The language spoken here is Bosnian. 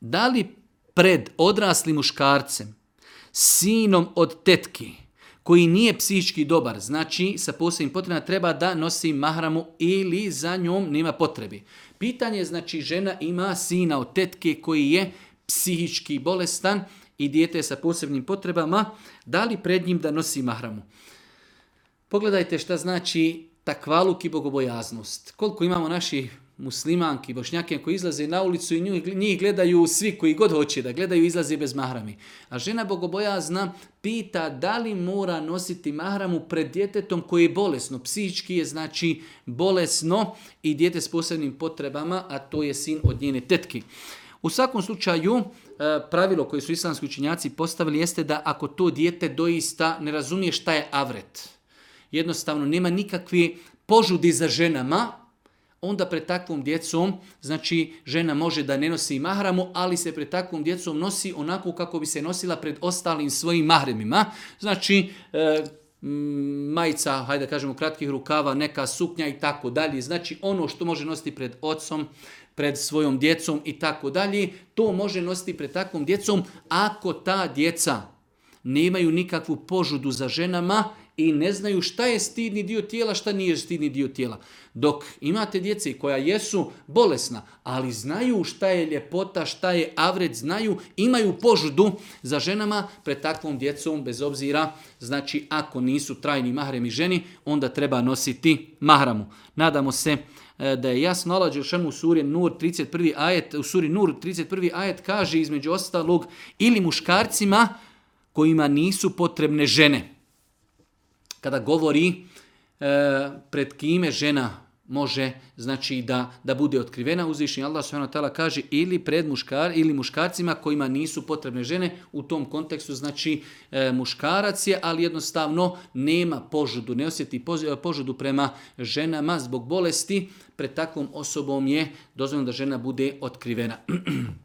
da li pred odraslim muškarcem, sinom od tetki, koji nije psihički dobar, znači sa posebnim potrebama, treba da nosi mahramu ili za njom nema potrebi. Pitanje, znači žena ima sina od tetke koji je psihički bolestan i dijete sa posebnim potrebama, da li pred njim da nosi mahramu? Pogledajte šta znači takvaluk i bogobojaznost. Koliko imamo naših muslimanki, bošnjake koji izlaze na ulicu i njih gledaju svi koji god hoće da gledaju, izlaze bez mahrami. A žena bogobojazna pita da li mora nositi mahramu pred djetetom koje je bolesno. Psihički je znači bolesno i dijete s posebnim potrebama, a to je sin od njene tetki. U svakom slučaju, pravilo koje su islamski učenjaci postavili jeste da ako to dijete doista ne razumije šta je avret, jednostavno nema nikakve požudi za ženama, onda pred takvom djecom, znači žena može da ne nosi mahramu, ali se pred takvom djecom nosi onako kako bi se nosila pred ostalim svojim mahremima. Znači majica, hajde da kažemo kratkih rukava, neka suknja i tako dalje. Znači ono što može nositi pred ocom, pred svojom djecom i tako dalje, to može nositi pred takvom djecom ako ta djeca nemaju nikakvu požudu za ženama i ne znaju šta je stidni dio tijela, šta nije stidni dio tijela. Dok imate djece koja jesu bolesna, ali znaju šta je ljepota, šta je avret, znaju, imaju požudu za ženama, pred takvom djecom, bez obzira, znači ako nisu trajni mahremi ženi, onda treba nositi mahramu. Nadamo se da je jasno. Allah dželešanu u suri Nur 31. ajet, u suri Nur 31. ajet kaže između ostalog ili muškarcima kojima nisu potrebne žene. Kada govori pred kime žena može znači da bude otkrivena, uzvišeni Allah subhanahu wa ta'ala kaže ili pred muškarcima kojima nisu potrebne žene, u tom kontekstu znači muškarac je, ali jednostavno nema požudu, ne osjeti požudu prema ženama zbog bolesti, pred takvom osobom je dozvoljeno da žena bude otkrivena.